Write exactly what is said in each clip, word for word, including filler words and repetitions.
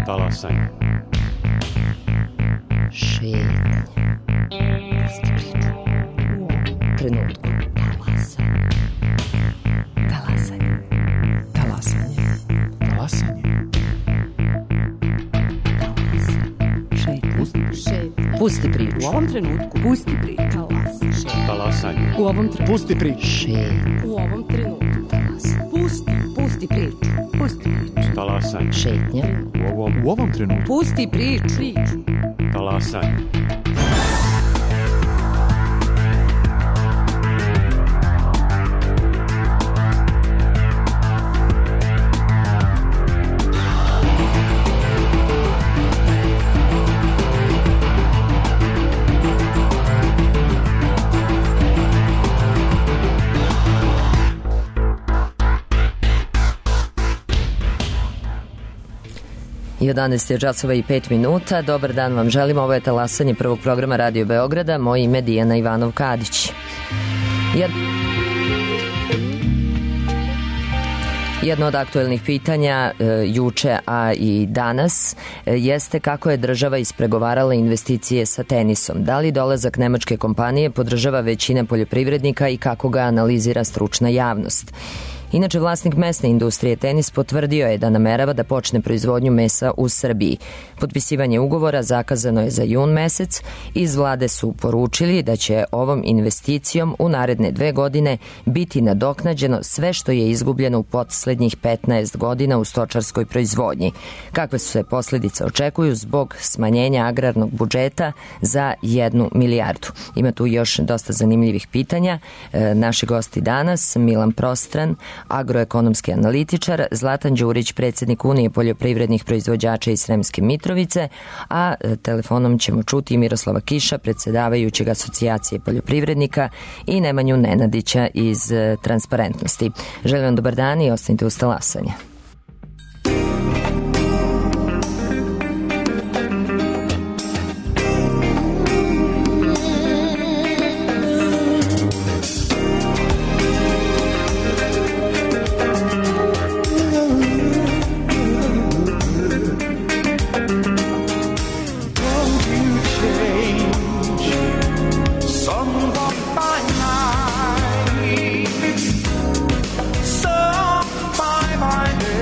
Talasanje. Šetnje. Pusti priču. U ovom trenutku. Talasanje. Talasanje. Talasanje. Talasanje. Šetnje. Pusti priču. U ovom trenutku. Pusti priču. Talasanje. U ovom trenutku. Pusti priču. Šetnje. U ovom trenutku. Talasanje. Pusti. Pusti priču. Pusti priču. Talasanje. Šetnje. U ovom, U ovom trenutku. Pusti priču. Priču. talasanje. jedanaest je časova i pet minuta. Dobar dan vam želim. Ovo je talasanje prvog programa Radio Beograda. Moje ime je Dijana Ivanov-Kadić. Jed... Jedno od aktuelnih pitanja e, juče, a i danas, e, jeste kako je država ispregovarala investicije sa Tenisom. Da li dolazak nemačke kompanije podržava većina poljoprivrednika i kako ga analizira stručna javnost? Inače, vlasnik mesne industrije Tenis potvrdio je da namerava da počne proizvodnju mesa u Srbiji. Potpisivanje ugovora zakazano je za jun mesec. Iz vlade su poručili da će ovom investicijom u naredne dve godine biti nadoknađeno sve što je izgubljeno u poslednjih petnaest godina u stočarskoj proizvodnji. Kakve su se posledice očekuju zbog smanjenja agrarnog budžeta za jednu milijardu? Ima tu još dosta zanimljivih pitanja. E, naši gosti danas, Milan Prostran, agroekonomski analitičar, Zlatan Đurić, predsjednik Unije poljoprivrednih proizvođača iz Sremske Mitrovice, a telefonom ćemo čuti Miroslava Kiša, predsjedavajućeg asocijacije poljoprivrednika, i Nemanju Nenadića iz Transparentnosti. Želim vam dobar dan i ostanite uz talasanje. Some by my name.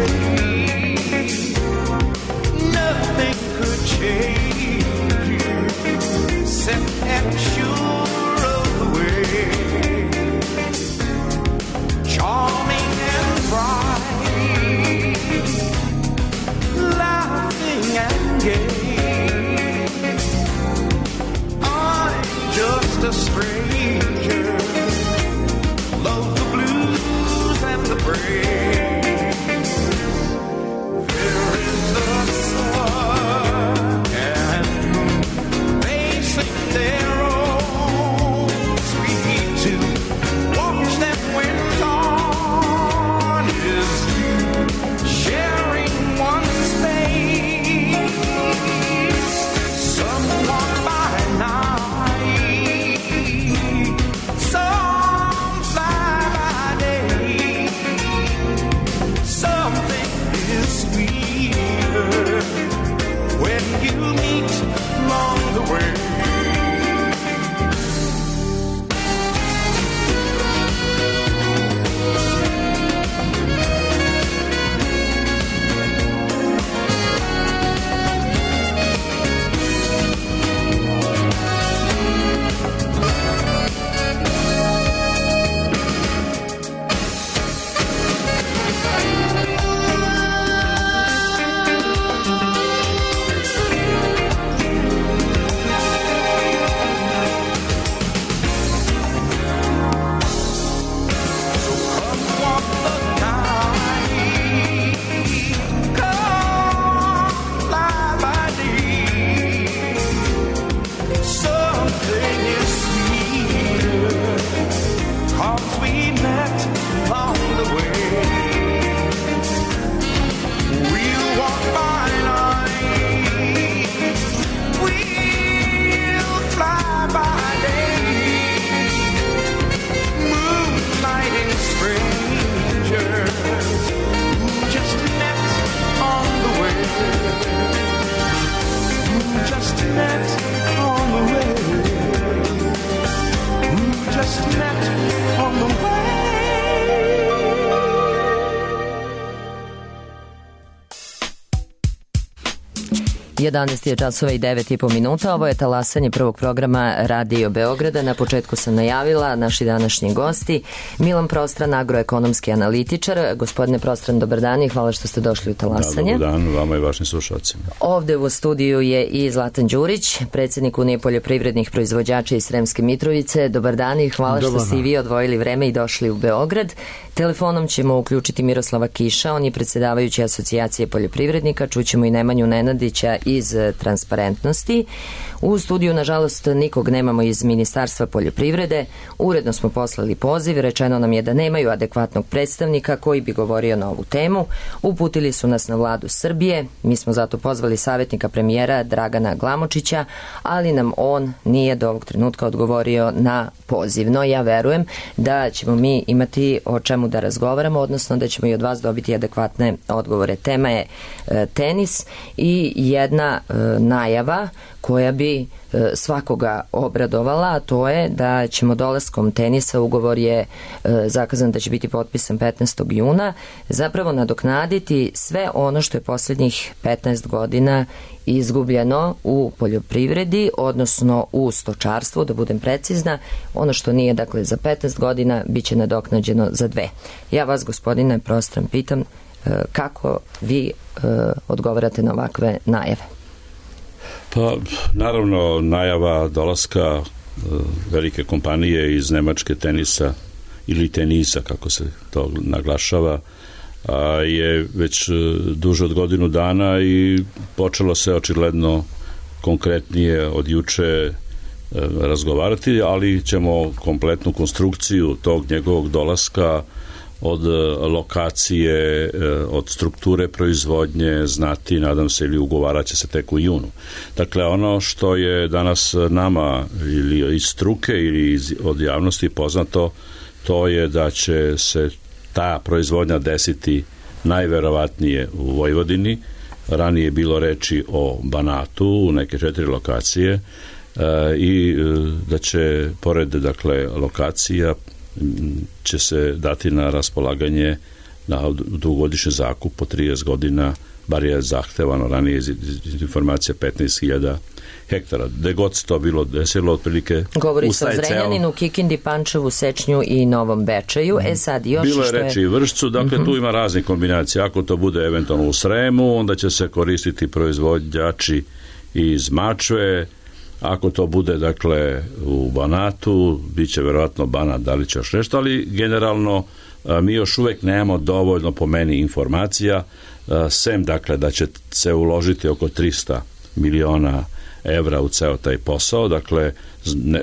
jedanaest je časova i devet i po minuta. Ovo je talasanje prvog programa Radio Beograda. Na početku sam najavila naši današnji gosti. Milan Prostran, agroekonomski analitičar. Gospodine Prostran, dobar dan i hvala što ste došli u talasanje. Da, dobar dan vama i vašim slušalcima. Ovde u studiju je i Zlatan Đurić, predsjednik Unije poljoprivrednih proizvođača iz Sremske Mitrovice. Dobar dan i hvala dobar što ste i vi odvojili vreme i došli u Beograd. Telefonom ćemo uključiti Miroslava Kiša, on je predsjedavajući asocijacije poljoprivrednika. Čućemo i Nemanju Nenadića iz Transparentnosti. U studiju, nažalost, nikog nemamo iz Ministarstva poljoprivrede. Uredno smo poslali poziv, rečeno nam je da nemaju adekvatnog predstavnika koji bi govorio na ovu temu. Uputili su nas na vladu Srbije, mi smo zato pozvali savjetnika premijera Dragana Glamočića, ali nam on nije do ovog trenutka odgovorio na poziv. No ja verujem da ćemo mi imati o čemu da razgovaramo, odnosno da ćemo i od vas dobiti adekvatne odgovore. Tema je e, tenis i jedna e, najava koja bi e, svakoga obradovala, a to je da ćemo dolaskom tenisa, ugovor je e, zakazan da će biti potpisan petnaestog juna, zapravo nadoknaditi sve ono što je posljednjih petnaest godina izgubljeno u poljoprivredi, odnosno u stočarstvu, da budem precizna. Ono što nije, dakle, za petnaest godina, bit će nadoknađeno za dve. Ja vas, gospodine Prostran, pitam e, kako vi e, odgovarate na ovakve najave? Pa, naravno, najava dolaska e, velike kompanije iz Nemačke tenisa ili tenisa, kako se to naglašava, a je već duže od godinu dana i počelo se očigledno konkretnije od juče e, razgovarati, ali ćemo kompletnu konstrukciju tog njegovog dolaska od lokacije, od strukture proizvodnje znati, nadam se, ili ugovarat će se tek u junu. Dakle, ono što je danas nama ili iz struke ili iz, od javnosti poznato, to je da će se ta proizvodnja desiti najverovatnije u Vojvodini. Ranije je bilo reči o Banatu, u neke četiri lokacije, e, i da će pored, dakle, lokacija će se dati na raspolaganje na dugogodišnji zakup po trideset godina, bar je zahtevano ranije iz, iz informacija petnaest hiljada hektara. Gde god se to bilo desilo, otprilike govori se o Zrenjaninu, Kikindi, Pančevu, Sečnju i Novom Bečeju. E sad još bilo je što reči i Vršcu, dakle uh-huh. tu ima raznih kombinacija. Ako to bude eventualno u Sremu, onda će se koristiti proizvođači iz Mačve. Ako to bude, dakle, u Banatu, bit će verovatno Banat, da li će još nešto, ali generalno mi još uvek nemamo dovoljno, po meni, informacija, sem, dakle, da će se uložiti oko trista miliona evra u ceo taj posao, dakle, ne,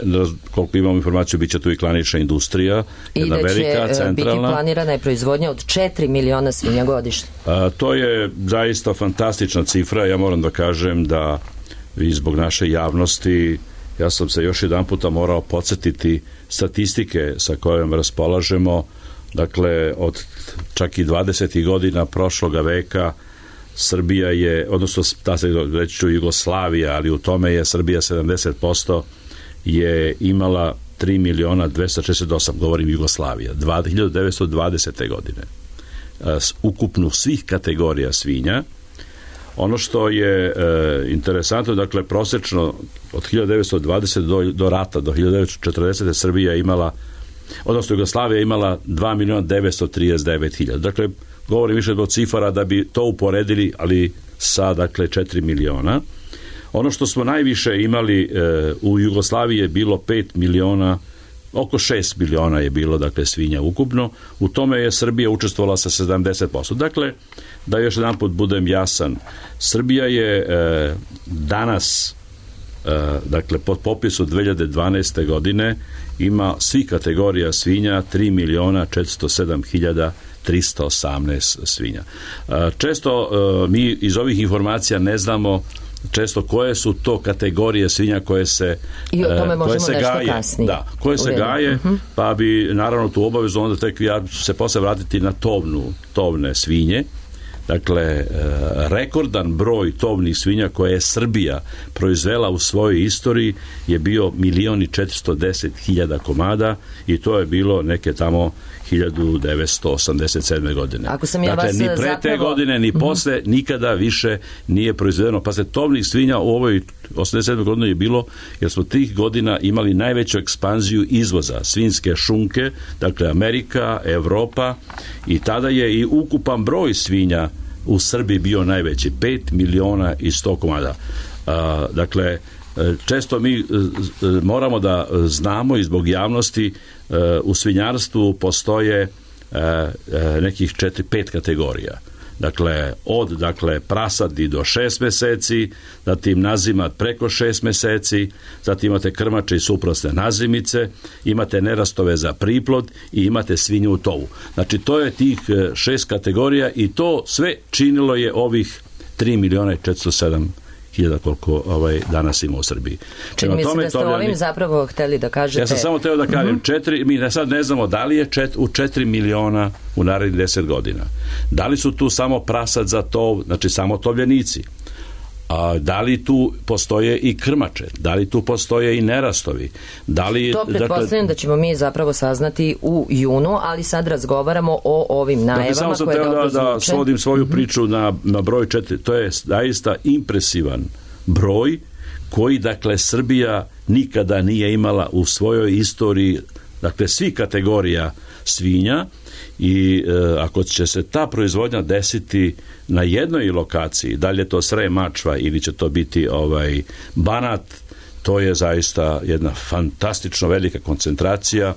koliko imamo informaciju, bit će tu i klanična industrija, jedna velika, centralna. I da će centralna biti planirana je proizvodnja od četiri miliona svinja godišnje. A, to je zaista fantastična cifra, ja moram da kažem da i zbog naše javnosti, ja sam se još jedan puta morao podsjetiti statistike sa kojom raspolažemo, dakle, od čak i dvadesetih godina prošloga veka Srbija je, odnosno ta se reći ću Jugoslavija, ali u tome je Srbija sedamdeset posto je imala tri miliona dvesta šezdeset osam, govorim Jugoslavija, hiljadu devetsto dvadesete godine. Ukupno svih kategorija svinja. Ono što je e, interesantno, dakle, prosečno od hiljadu devetsto dvadesete do, do rata, do hiljadu devetsto četrdesete Srbija imala, odnosno Jugoslavija imala dva miliona devetsto trideset devet hiljada. Dakle, govorim više od cifara da bi to uporedili, ali sa, dakle, četiri miliona. Ono što smo najviše imali e, u Jugoslaviji je bilo pet miliona, oko šest miliona je bilo, dakle, svinja ukupno. U tome je Srbija učestvovala sa sedamdeset posto. Dakle, da još jedan put budem jasan, Srbija je e, danas, e, dakle, pod popisu dve hiljade dvanaeste godine ima svih kategorija svinja tri miliona četiristo sedam hiljada trista osamnaest svinja. E, često e, mi iz ovih informacija ne znamo često koje su to kategorije svinja koje se i o tome možemo koje se nešto gaje, kasnije. Da, koje se gaje, uh-huh. pa bi naravno tu obavezu onda tek ja se posle vratiti na tovnu, tovne svinje. dakle, rekordan broj tovnih svinja koje je Srbija proizvela u svojoj istoriji je bio milion i četiristo deset hiljada komada i to je bilo neke tamo hiljadu devetsto osamdeset sedme godine. Ako sam ja dakle, vas ni pre zapravo... te godine, ni mm-hmm. posle, nikada više nije proizvedeno. Pa se tovnih svinja u ovoj osamdeset sedmoj godini je bilo, jer smo tih godina imali najveću ekspanziju izvoza svinjske šunke, dakle Amerika, Evropa, i tada je i ukupan broj svinja u Srbiji bio najveći, pet miliona i sto komada. A, dakle, često mi moramo da znamo i zbog javnosti, u svinjarstvu postoje nekih četiri pet kategorija. Dakle, od dakle, prasadi do šest meseci, zatim nazimat preko šest meseci, zatim imate krmače i suprasne nazimice, imate nerastove za priplod i imate svinju u tovu. Znači, to je tih šest kategorija i to sve činilo je ovih tri miliona i četiristo sedam hiljada koliko ovaj, danas ima u Srbiji. Čini mi se da ste tovljani... ovim zapravo hteli da kažete... Ja sam samo teo da kažem, mm-hmm. četiri, mi sad ne znamo da li je čet, u četiri miliona u narednih deset godina. Da li su tu samo prasad za tov, znači samo tovljenici? A, da li tu postoje i krmače? Da li tu postoje i nerastovi? Da li, to pretpostavljam dakle, da ćemo mi zapravo saznati u junu, ali sad razgovaramo o ovim najavama dakle, samo sam koje dobro da, zvuče. da svodim svoju mm-hmm. priču na, na broj četiri. To je zaista impresivan broj koji, dakle, Srbija nikada nije imala u svojoj istoriji, dakle, svih kategorija svinja i e, ako će se ta proizvodnja desiti na jednoj lokaciji, da li je to Srem, Mačva ili će to biti ovaj Banat, to je zaista jedna fantastično velika koncentracija,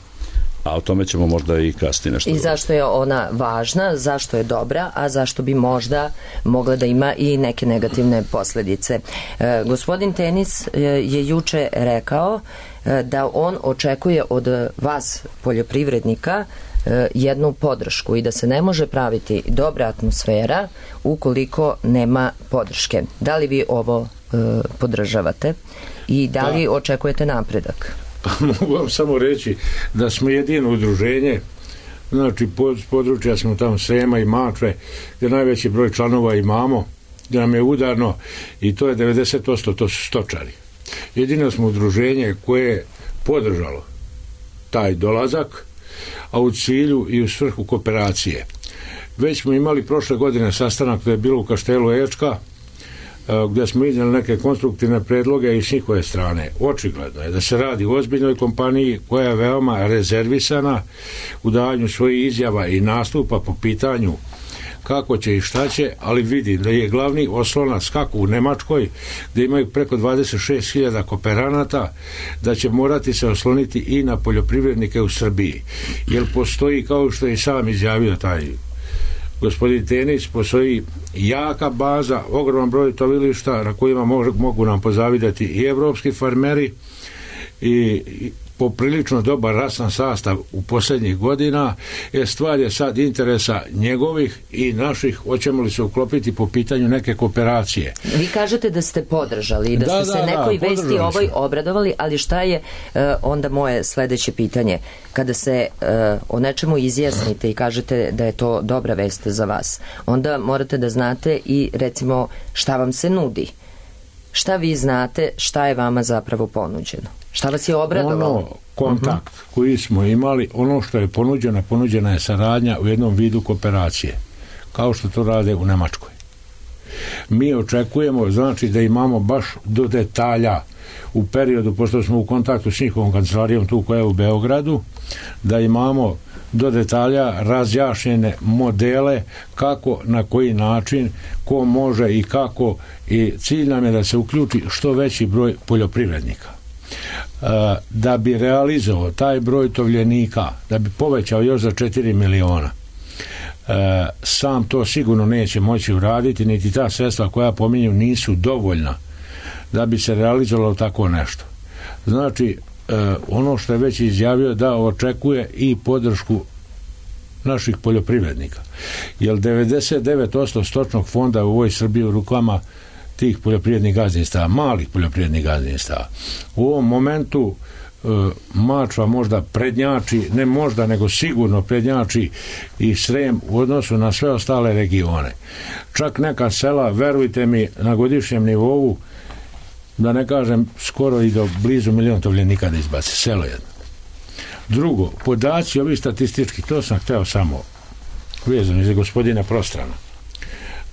a o tome ćemo možda i kasnije nešto. I zašto je ona važna, zašto je dobra, a zašto bi možda mogla da ima i neke negativne posledice. E, gospodin Tenis je juče rekao e, da on očekuje od vas, poljoprivrednika, e, jednu podršku i da se ne može praviti dobra atmosfera ukoliko nema podrške. Da li vi ovo e, podržavate i da li da. očekujete napredak? Pa mogu vam samo reći da smo jedino udruženje, znači pod područja smo tamo Srema i Mačve, gdje najveći broj članova imamo, gdje nam je udarno i to je devedeset posto, to su stočari. Jedino smo udruženje koje je podržalo taj dolazak, a u cilju i u svrhu kooperacije. Već smo imali prošle godine sastanak, to je bilo u Kaštelu Ečka, gdje smo iznijeli neke konstruktivne predloge i s njihove strane. Očigledno je da se radi o ozbiljnoj kompaniji koja je veoma rezervisana u davanju svojih izjava i nastupa po pitanju kako će i šta će, ali vidi da je glavni oslonac kako u Nemačkoj, gdje imaju preko dvadeset šest hiljada kooperanata, da će morati se osloniti i na poljoprivrednike u Srbiji. Jer postoji, kao što je i sam izjavio taj gospodin Tenis, postoji jaka baza, ogroman broj tovilišta na kojima mogu, mogu nam pozavidati i evropski farmeri i, i poprilično dobar rasan sastav u posljednjih godina. Je stvar je sad interesa njegovih i naših, hoćemo li se uklopiti po pitanju neke kooperacije. Vi kažete da ste podržali i da, da ste se da, nekoj da, vesti ovoj obradovali, ali šta je uh, onda moje sledeće pitanje? Kada se uh, o nečemu izjasnite i kažete da je to dobra vest za vas, onda morate da znate i recimo šta vam se nudi. Šta vi znate, šta je vama zapravo ponuđeno? Šta vas je obradovalo? Ono, kontakt uh-huh. koji smo imali, ono što je ponuđeno, ponuđena je saradnja u jednom vidu kooperacije, kao što to rade u Nemačkoj. Mi očekujemo, znači, da imamo baš do detalja u periodu, pošto smo u kontaktu s njihovom kancelarijom tu koja je u Beogradu, da imamo do detalja razjašnjene modele kako, na koji način, ko može i kako, i cilj nam je da se uključi što veći broj poljoprivrednika. Da bi realizovao taj broj tovljenika, da bi povećao još za četiri miliona, sam to sigurno neće moći uraditi, niti ta sredstva koja pominju nisu dovoljna da bi se realizovalo tako nešto. Znači, ono što je već izjavio, da očekuje i podršku naših poljoprivrednika. Jer devedeset devet posto stočnog fonda u ovoj Srbiji u rukama tih poljoprivrednih gazdinstava, malih poljoprivrednih gazdinstava. U ovom momentu Mačva možda prednjači, ne možda, nego sigurno prednjači i Srem u odnosu na sve ostale regione. Čak neka sela, verujte mi, na godišnjem nivou, da ne kažem skoro i do blizu milion tovljenika da izbaci, selo jedno. Drugo, podaci ovi statistički, to sam hteo samo vezano za gospodina Prostrana.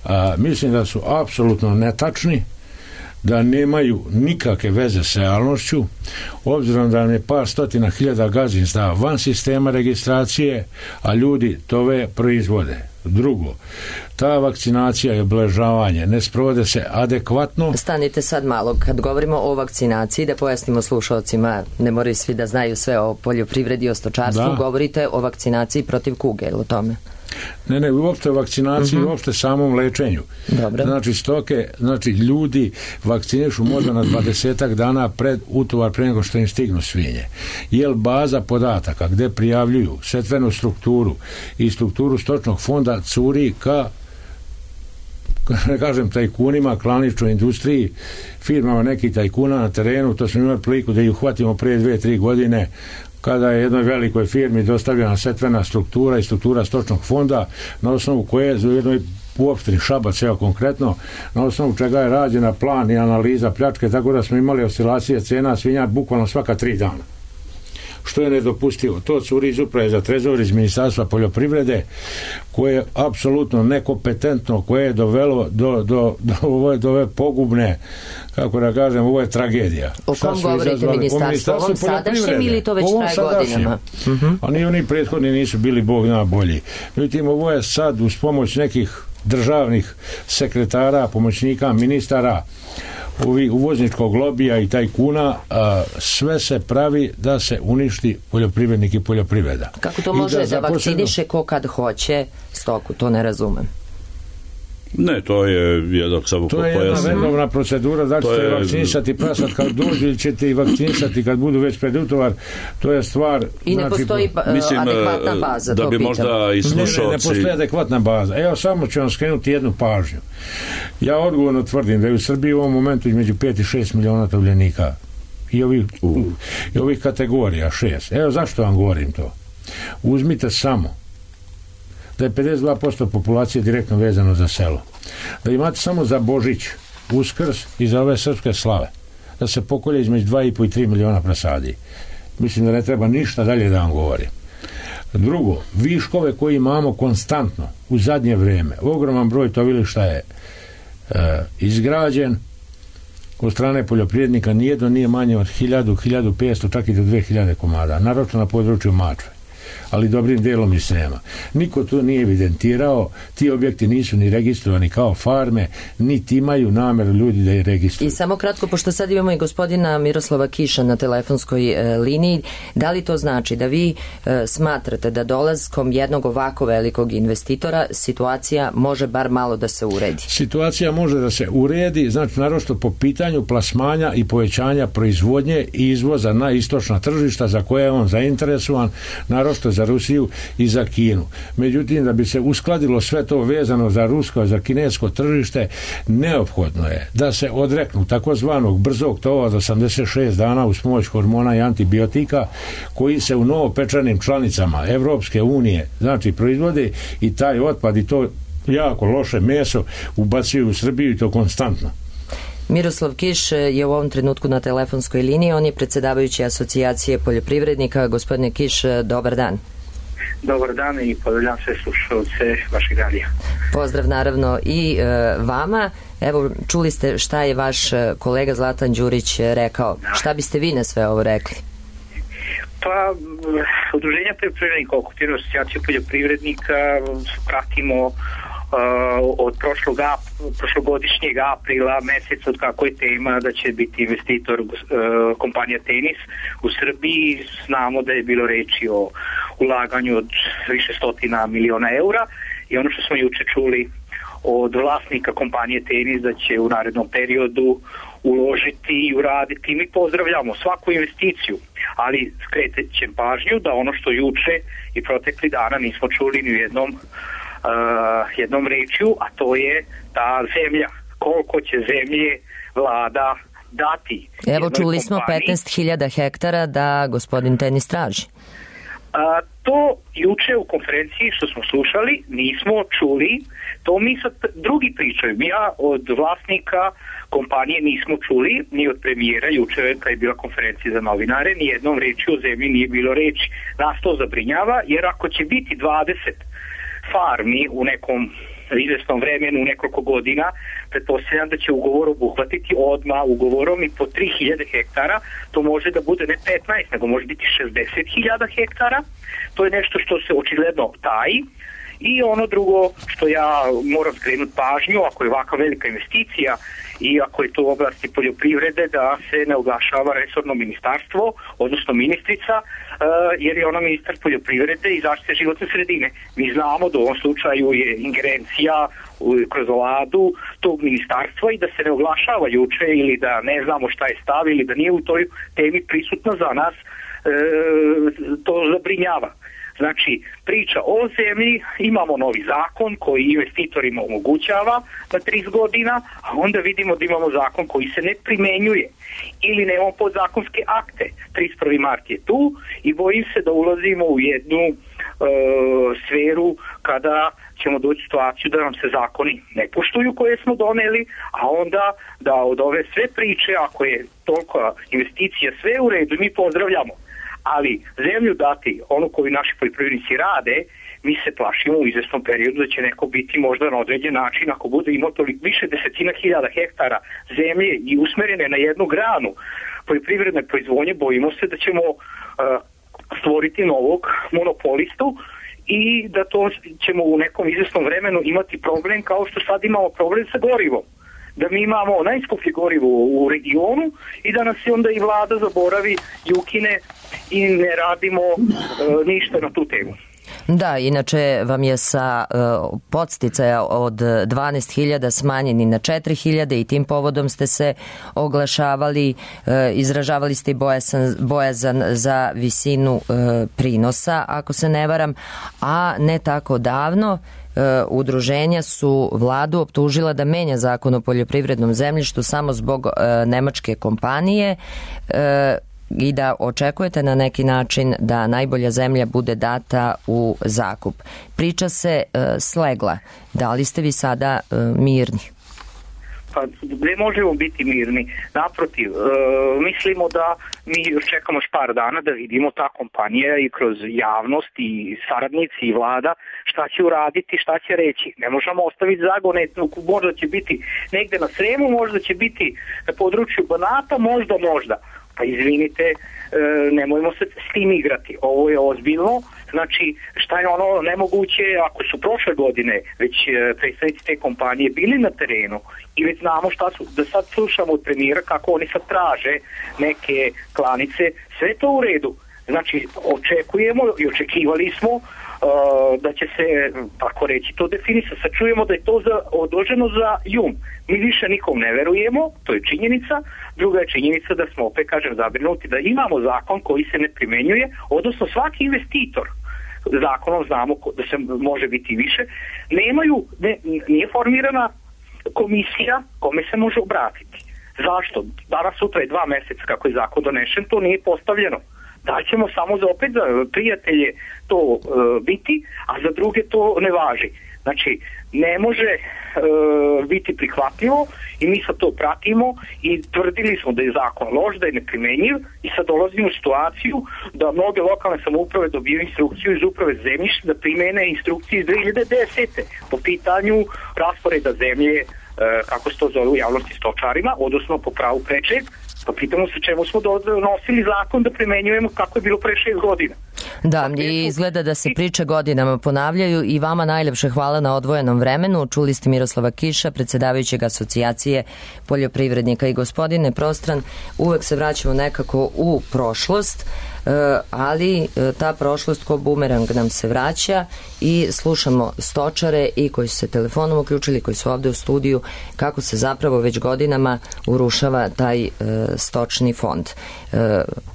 A, mislim da su apsolutno netačni, da nemaju nikakve veze sa realnošću, obzirom da nam je par stotina hiljada gazdinstava van sistema registracije, a ljudi tove proizvode. Drugo, ta vakcinacija i obeležavanje ne sprovode se adekvatno. Stanite sad malo, kad govorimo o vakcinaciji, da pojasnimo slušalcima, ne moraju svi da znaju sve o poljoprivredi i o stočarstvu, da. Govorite o vakcinaciji protiv kuge, ili o tome? Ne, ne, uopšte o vakcinaciji, uh-huh. uopšte samom lečenju. Dobro. Znači stoke, znači ljudi vakcinišu možda na dvadesetak dana pred utovar, pre nego što im stignu svinje. Jel baza podataka gde prijavljuju setvenu strukturu i strukturu stočnog fonda curi ka, ne kažem tajkunima, klaničnoj industriji, firmama nekih tajkuna na terenu, to smo imali priliku da ih uhvatimo prije dve, tri godine, kada je jednoj velikoj firmi dostavljena setvena struktura i struktura stočnog fonda, na osnovu koje u jednoj uopštini Šabac, evo konkretno, na osnovu čega je rađena plan i analiza pljačke, tako da smo imali oscilacije cena svinja bukvalno svaka tri dana. Što je nedopustivo. To curi iz uprave za trezor iz Ministarstva poljoprivrede, koje je apsolutno nekompetentno, koje je dovelo do, do, do, ove, do ove pogubne, kako da kažem, ovo je tragedija. O kom govorite ministarstvo? Ovom sadašnjem ili to već traje godinama? Uh-huh. A ni oni prethodni nisu bili bog zna bolji. Međutim, ovo je sad uz pomoć nekih državnih sekretara, pomoćnika, ministara, uvozničkog lobija i tajkuna, a, sve se pravi da se uništi poljoprivrednik i poljoprivreda. Kako to može da, da vakciniše ko kad hoće stoku, to ne razumem. Ne, to je jednog samo to je jedna redovna procedura, da ćete je vakcinisati prasad kad dođu ili ćete i vakcinisati kad budu već pred utovar, to je stvar. I ne znači, postoji uh, mislim, adekvatna baza, da to bi pitam. Možda i slušalci... Ne, ne, ne postoji adekvatna baza. Evo, samo ću vam skrenuti jednu pažnju. Ja odgovorno tvrdim da je u Srbiji u ovom momentu između pet i šest miliona tovljenika i ovih, uh. i ovih kategorija, šest. Evo, zašto vam govorim to? Uzmite samo da je pedeset dva posto populacije direktno vezano za selo. Da imate samo za Božić, Uskrs i za ove srpske slave, da se pokolje između dva i po i tri miliona prasadi. Mislim da ne treba ništa dalje da vam govorim. Drugo, viškove koji imamo konstantno u zadnje vreme, ogroman broj tovilišta je e, izgrađen od strane poljoprivrednika, nijedno nije manje od hiljadu, hiljadu petsto, čak i do dve hiljade komada, naročno na području Mačve, ali dobrim delom i Srema. Niko to nije evidentirao, ti objekti nisu ni registrovani kao farme, niti imaju nameru ljudi da je registruju. I samo kratko, pošto sad imamo i gospodina Miroslava Kiša na telefonskoj e, liniji, da li to znači da vi e, smatrate da dolaskom jednog ovako velikog investitora situacija može bar malo da se uredi? Situacija može da se uredi, znači naročito po pitanju plasmanja i povećanja proizvodnje i izvoza na istočna tržišta za koje je on zainteresovan, naročito za Rusiju i za Kinu. Međutim, da bi se uskladilo sve to vezano za rusko, za kinesko tržište, neophodno je da se odreknu takozvanog brzog tova od osamdeset šest dana uz pomoć hormona i antibiotika koji se u novopečanim članicama Evropske unije znači proizvode i taj otpad i to jako loše meso ubacuju u Srbiju i to konstantno. Miroslav Kiš je u ovom trenutku na telefonskoj liniji, on je predsjedavajući asocijacije poljoprivrednika. Gospodine Kiš, dobar dan. Dobar dan i pozdravljam sve slušalce vašeg radija. Pozdrav naravno i e, vama. Evo, čuli ste šta je vaš kolega Zlatan Đurić rekao. Da. Šta biste vi na sve ovo rekli? Pa, udruženja poljoprivrednika, okupirana asocijacija poljoprivrednika, pratimo Uh, od prošlog ap, prošlogodišnjeg aprila meseca od kako je tema da će biti investitor uh, kompanija Tenis u Srbiji. Znamo da je bilo reči o ulaganju od više stotina miliona eura i ono što smo juče čuli od vlasnika kompanije Tenis da će u narednom periodu uložiti i uraditi. Mi pozdravljamo svaku investiciju, ali skrećem pažnju da ono što juče i protekli dana nismo čuli ni u jednom Uh, jednom rečju, a to je ta zemlja. Koliko će zemlje vlada dati. Evo, čuli smo petnaest hiljada hektara da gospodin Tenis traži. A, to juče u konferenciji što smo slušali nismo čuli, to mi sad drugi pričaju. Ja od vlasnika kompanije nismo čuli, ni od premijera juče kad je bila konferencija za novinare, ni jednom reči o zemlji nije bilo reči. Nas to zabrinjava, jer ako će biti dvadeset farmi u nekom izvesnom vremenu, u nekoliko godina, pretpostavljam da će ugovor obuhvatiti odmah ugovorom i po tri hiljade hektara, to može da bude ne petnaest, nego može biti šezdeset hiljada hektara. To je nešto što se očigledno taji. I ono drugo što ja moram skrenuti pažnju, ako je ovakva velika investicija i ako je to u oblasti poljoprivrede, da se ne oglašava resorno ministarstvo, odnosno ministrica, jer je ona ministar poljoprivrede i zaštite životne sredine. Mi znamo da u ovom slučaju je ingerencija kroz vladu tog ministarstva i da se ne oglašava juče ili da ne znamo šta je stav ili da nije u toj temi prisutno za nas, to zabrinjava. Znači, priča o zemlji, imamo novi zakon koji investitorima omogućava na trideset godina, a onda vidimo da imamo zakon koji se ne primenjuje ili nemamo podzakonske akte. trideset prvi mart je tu i bojim se da ulazimo u jednu e, sferu kada ćemo doći u situaciju da nam se zakoni ne poštuju koje smo doneli, a onda da od ove sve priče, ako je toliko investicija sve u redu, mi pozdravljamo. Ali zemlju dati, onu koju naši poljoprivrednici rade, mi se plašimo u izvesnom periodu da će neko biti možda na određen način, ako bude imao toliko više desetina hiljada hektara zemlje i usmerene na jednu granu poljoprivredne proizvodnje, bojimo se da ćemo uh, stvoriti novog monopolistu i da to ćemo u nekom izvesnom vremenu imati problem kao što sad imamo problem sa gorivom. Da mi imamo najskuplje gorivo u regionu i da nas se onda i vlada zaboravi i ukine i ne radimo uh, ništa na tu temu. Da, inače vam je sa uh, podsticaja od dvanaest hiljada smanjeni na četiri hiljade i tim povodom ste se oglašavali, uh, izražavali ste i bojazan, bojazan za visinu uh, prinosa, ako se ne varam, a ne tako davno Uh, udruženja su vladu optužila da menja zakon o poljoprivrednom zemljištu samo zbog uh, nemačke kompanije uh, i da očekujete na neki način da najbolja zemlja bude data u zakup. Priča se uh, slegla. Da li ste vi sada uh, mirni? Pa ne možemo biti mirni. Naprotiv, e, mislimo da mi još čekamo još par dana da vidimo ta kompanija i kroz javnost i saradnici i vlada šta će uraditi, šta će reći. Ne možemo ostaviti zagone, možda će biti negde na Sremu, možda će biti na području Banata, možda, možda. Pa izvinite, e, nemojmo se s tim igrati. Ovo je ozbiljno. Znači, šta je ono nemoguće ako su prošle godine već predstavnici te kompanije bili na terenu i već znamo šta su, da sad slušamo od premijera kako oni sad traže neke klanice, sve to u redu. Znači, očekujemo i očekivali smo uh, da će se, tako reći, to definisati. Sad čujemo da je to za, odloženo za jun. Mi više nikom ne verujemo, to je činjenica. Druga je činjenica da smo, opet kažem, zabrinuti da imamo zakon koji se ne primenjuje, odnosno svaki investitor, zakonom znamo da se može biti više, nemaju, ne, nije formirana komisija kome se može obratiti. Zašto? Danas sutra je dva meseca kako je zakon donešen, to nije postavljeno. Da ćemo samo za opet za prijatelje to e, biti, a za druge to ne važi. Znači, ne može e, biti prihvatljivo i mi sad to pratimo i tvrdili smo da je zakon loš, da je neprimenjiv i sad dolazimo u situaciju da mnoge lokalne samouprave dobiju instrukciju iz uprave zemljišta da primene instrukcije iz dve hiljade desete po pitanju rasporeda zemlje, e, kako se to zove u javnosti, stočarima, odnosno po pravu prečeg. Pa pitamo se čemu smo donosili zakon da primenjujemo kako je bilo pre šest godina. Da, i izgleda da se priče godinama ponavljaju i vama najlepše hvala na odvojenom vremenu. Čuli ste Miroslava Kiša, predsjedavajućeg Asocijacije poljoprivrednika. I gospodine Prostran, uvek se vraćamo nekako u prošlost, ali ta prošlost ko bumerang nam se vraća i slušamo stočare i koji su se telefonom uključili, koji su ovde u studiju, kako se zapravo već godinama urušava taj stočni fond.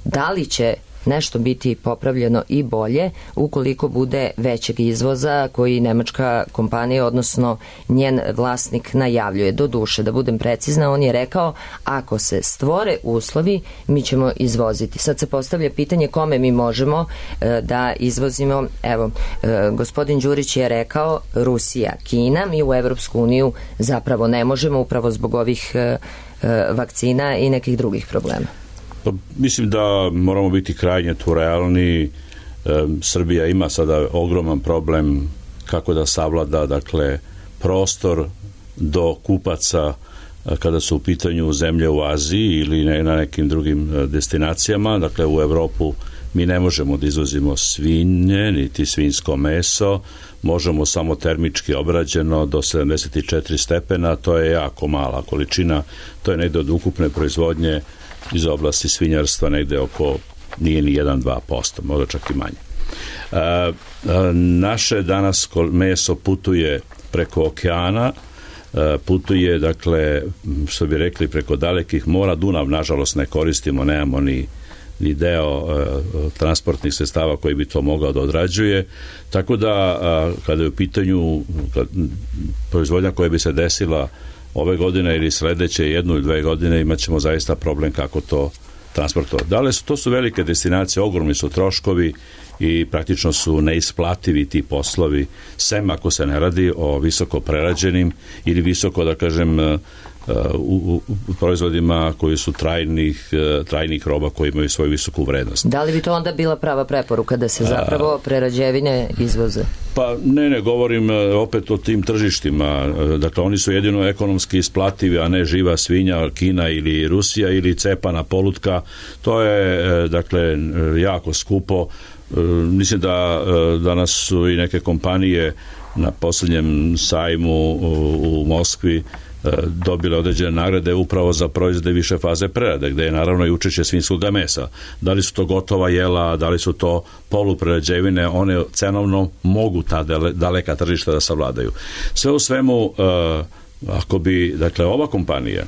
Da li će nešto biti popravljeno i bolje ukoliko bude većeg izvoza koji nemačka kompanija, odnosno njen vlasnik najavljuje. Do duše, da budem precizna, on je rekao ako se stvore uslovi, mi ćemo izvoziti. Sad se postavlja pitanje kome mi možemo e, da izvozimo. Evo, e, gospodin Đurić je rekao Rusija, Kina, mi u Evropsku uniju zapravo ne možemo upravo zbog ovih e, e, vakcina i nekih drugih problema. Pa, mislim da moramo biti krajnje tu realni. E, Srbija ima sada ogroman problem kako da savlada, dakle, prostor do kupaca kada su u pitanju zemlje u Aziji ili ne, na nekim drugim destinacijama. Dakle, u Evropu mi ne možemo da izvozimo svinje, niti svinjsko meso, možemo samo termički obrađeno do sedamdeset četiri stepena, to je jako mala količina, to je negde od ukupne proizvodnje iz oblasti svinjarstva negde oko, nije ni jedan do dva posto, možda čak i manje. A, a, naše danas meso putuje preko okeana, a, putuje, dakle, što bi rekli, preko dalekih mora. Dunav, nažalost, ne koristimo, nemamo ni ni deo uh, transportnih sredstava koji bi to mogao da odrađuje, tako da uh, kada je u pitanju kad, proizvodnja koja bi se desila ove godine ili sledeće jednu ili dve godine, imat ćemo zaista problem kako to transportovati. Dakle, to su velike destinacije, ogromni su troškovi i praktično su neisplativi ti poslovi, sem ako se ne radi o visoko prerađenim ili visoko, da kažem, U, u, u proizvodima koji su trajnih, trajnih roba koji imaju svoju visoku vrednost. Da li bi to onda bila prava preporuka da se zapravo prerađevine izvoze? Pa ne, ne, govorim opet o tim tržištima. Dakle, oni su jedino ekonomski isplativi, a ne živa svinja, Kina ili Rusija ili cepana polutka. To je, dakle, jako skupo. Mislim da danas su i neke kompanije na posljednjem sajmu u, u Moskvi dobile određene nagrade upravo za proizvode više faze prerade, gde je naravno i učešće svinjskog mesa. Da li su to gotova jela, da li su to poluprerađevine, one cenovno mogu ta daleka tržišta da savladaju. Sve u svemu, ako bi, dakle, ova kompanija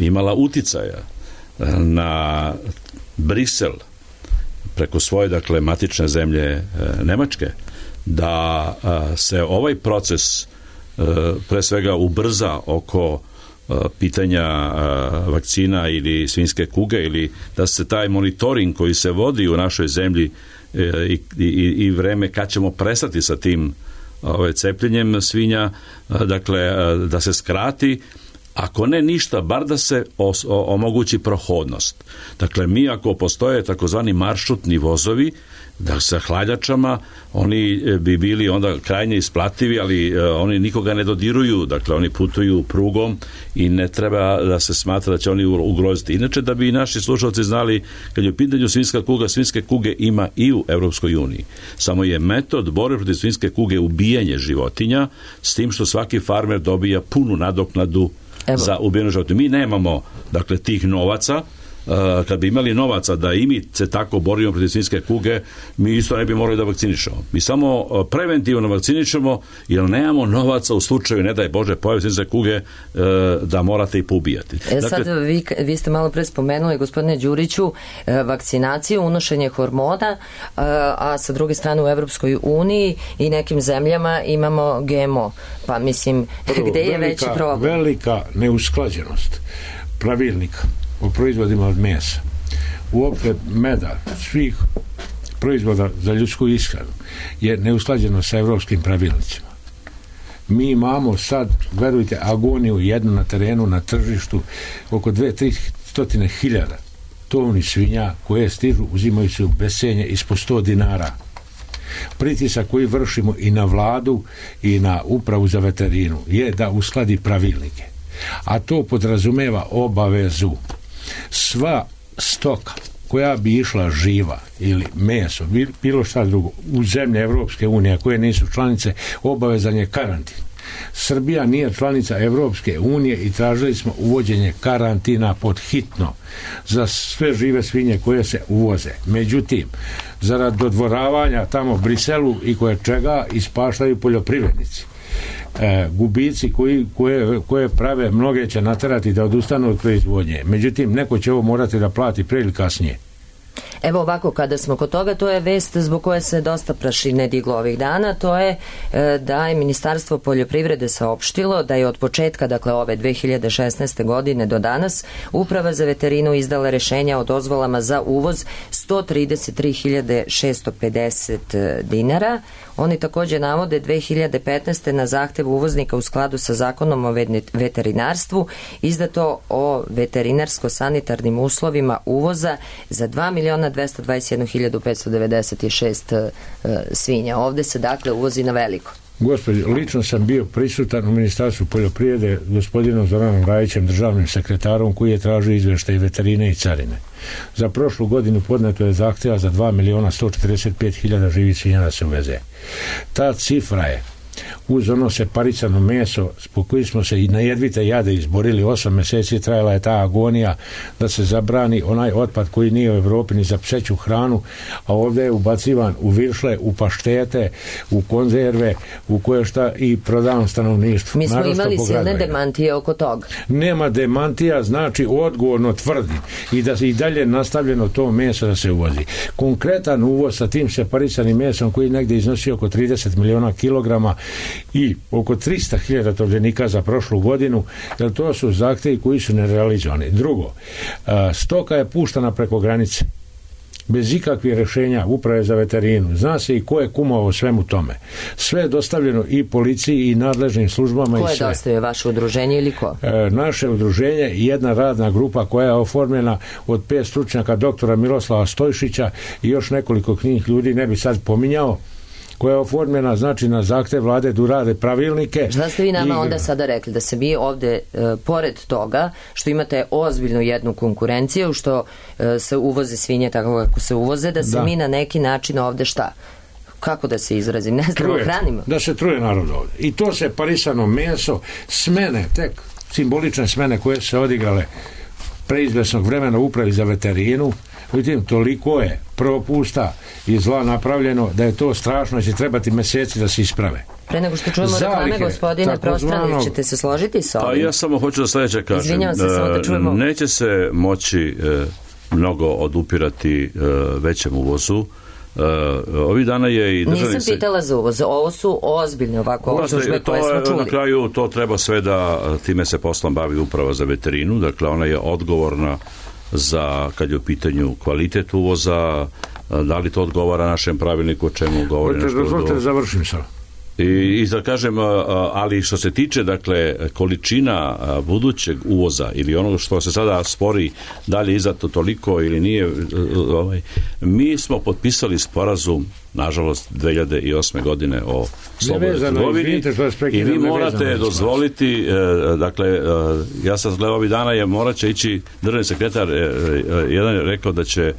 imala uticaja na Brisel preko svoje, dakle, matične zemlje Nemačke, da se ovaj proces pre svega ubrza oko pitanja vakcina ili svinjske kuge, ili da se taj monitoring koji se vodi u našoj zemlji i, i, i vreme kad ćemo prestati sa tim ovaj, cepljenjem svinja, dakle, da se skrati, ako ne ništa, bar da se os, o, omogući prohodnost. Dakle, mi ako postoje takozvani maršrutni vozovi, da sa hladjačama, oni bi bili onda krajnje isplativi, ali uh, oni nikoga ne dodiruju, dakle oni putuju prugom i ne treba da se smatra da će oni ugroziti. Inače, da bi i naši slušalci znali, kad je u pitanju svinjska kuga, svinjske kuge ima i u Evropskoj uniji. Samo je metod borbe protiv svinjske kuge ubijanje životinja, s tim što svaki farmer dobija punu nadoknadu Evo. za ubijenu životinju. Mi nemamo, dakle, tih novaca. Uh, kad bi imali novaca da i mi se tako borimo protiv svinjske kuge, mi isto ne bi morali da vakcinišemo. Mi samo uh, preventivno vakcinišemo, jer nemamo novaca u slučaju, ne daj Bože, pojave svinjske kuge, uh, da morate i poubijati. E, dakle, sad vi, vi ste malo pre spomenuli, gospodine Đuriću, vakcinaciju, unošenje hormona, a sa druge strane u Evropskoj uniji i nekim zemljama imamo G M O. Pa mislim, Prvo, gde je velika, veći problem? Velika neusklađenost pravilnika o proizvodima od mesa, uopšte meda, svih proizvoda za ljudsku ishranu je neusklađeno sa evropskim pravilnicima. Mi imamo sad, verujte, agoniju jednu na terenu, na tržištu, oko dve do tri stotine hiljada tovnih svinja koje stižu, uzimaju se u besenje ispod sto dinara. Pritisak koji vršimo i na vladu i na upravu za veterinu je da uskladi pravilnike. A to podrazumeva obavezu. Sva stoka koja bi išla živa ili meso, bilo šta drugo, u zemlje Evropske unije koje nisu članice, obavezan je karantin. Srbija nije članica Evropske unije i tražili smo uvođenje karantina pod hitno za sve žive svinje koje se uvoze. Međutim, zarad dodvoravanja tamo u Briselu i koje čega ispaštaju poljoprivrednici. E, gubici koji, koje, koje prave, mnoge će naterati da odustanu od proizvodnje. Međutim, neko će ovo morati da plati pre ili kasnije. Evo ovako, kada smo kod toga, to je vest zbog koje se dosta prašine diglo ovih dana, to je e, da je Ministarstvo poljoprivrede saopštilo da je od početka, dakle ove dve hiljade šesnaeste godine do danas, Uprava za veterinu izdala rešenja o dozvolama za uvoz sto trideset tri hiljade šesto pedeset dinara. Oni takođe navode dve hiljade petnaeste. na zahtev uvoznika u skladu sa zakonom o veterinarstvu izdato o veterinarsko-sanitarnim uslovima uvoza za dva miliona dvesta dvadeset jednu hiljadu petsto devedeset šest uh, svinja. Ovde se dakle uvozi na veliko. Gospodi, lično sam bio prisutan u Ministarstvu poljoprivrede gospodinom Zoranom Rajićem, državnim sekretarom, koji je tražio izveštaj veterine i carine. Za prošlu godinu podneto je zahteva za dva miliona sto četrdeset pet hiljada živih svinja da se uveze. Ta cifra je uz ono separicano meso zbog koji smo se i na jedvite jade izborili, osam meseci trajala je ta agonija da se zabrani onaj otpad koji nije u Evropi ni za pseću hranu, a ovdje je ubacivan u viršle, u paštete, u konzerve, u koje šta i prodavan stanovništvu. Mi smo imali silne demantije oko toga. Nema demantija, znači odgovorno tvrdi i da se i dalje nastavljeno to meso da se uvozi. Konkretan uvoz sa tim separisanim mesom koji negdje iznosi oko trideset miliona kilograma i oko trista hiljada tovljenika za prošlu godinu, jer to su zahtevi koji su nerealizovani. Drugo, stoka je puštana preko granice bez ikakvih rešenja Uprave za veterinu. Zna se i ko je kumao o svemu tome. Sve je dostavljeno i policiji i nadležnim službama. Ko je i sve. dostavio, vaše udruženje ili ko? E, naše udruženje i jedna radna grupa koja je oformljena od pet stručnjaka, doktora Miroslava Stojšića i još nekoliko knjih ljudi, ne bi sad pominjao, koja je oformljena, znači, na zahtev vlade da urade pravilnike. Šta ste vi nama i... onda sada rekli? Da se vi ovde, e, pored toga, što imate ozbiljnu jednu konkurenciju, što e, se uvoze svinje tako kako se uvoze, da se da. mi na neki način ovde šta? Kako da se izrazim? Ne znamo, hranimo. Da se truje narod ovde. I to se parisano meso, smene, tek simbolične smene koje se odigrale preizvesnog vremena u Upravi za veterinu, vidite, toliko je propusta i zla napravljeno da je to strašno i će trebati meseci da se isprave. Pre nego što čujemo reklame, gospodine Prostranić, ćete se složiti sa ovim? A ja samo hoću da sledeće kažem. Izvinjavam se, samo da čujemo. Neće se moći e, mnogo odupirati e, većem uvozu. Uh, ovih dana je i državni... Nisam pitala za uvoz, ovo su ozbiljne ovako optužbe koje smo čuli. Na kraju to treba sve da time se poslom bavi Uprava za veterinu, dakle ona je odgovorna za, kad je u pitanju kvalitet uvoza, da li to odgovara našem pravilniku, o čemu govori nešto odgovor. Dozvolite da završim sad. I, i da kažem, ali što se tiče, dakle, količina budućeg uvoza ili onoga što se sada spori, da li je izato toliko ili nije, ovaj, mi smo potpisali sporazum, nažalost, dve hiljade osme godine o slobodnoj trgovini i vi morate dozvoliti, dakle, ja sam gledao ovih dana, je morat će ići državni sekretar, jedan je rekao da će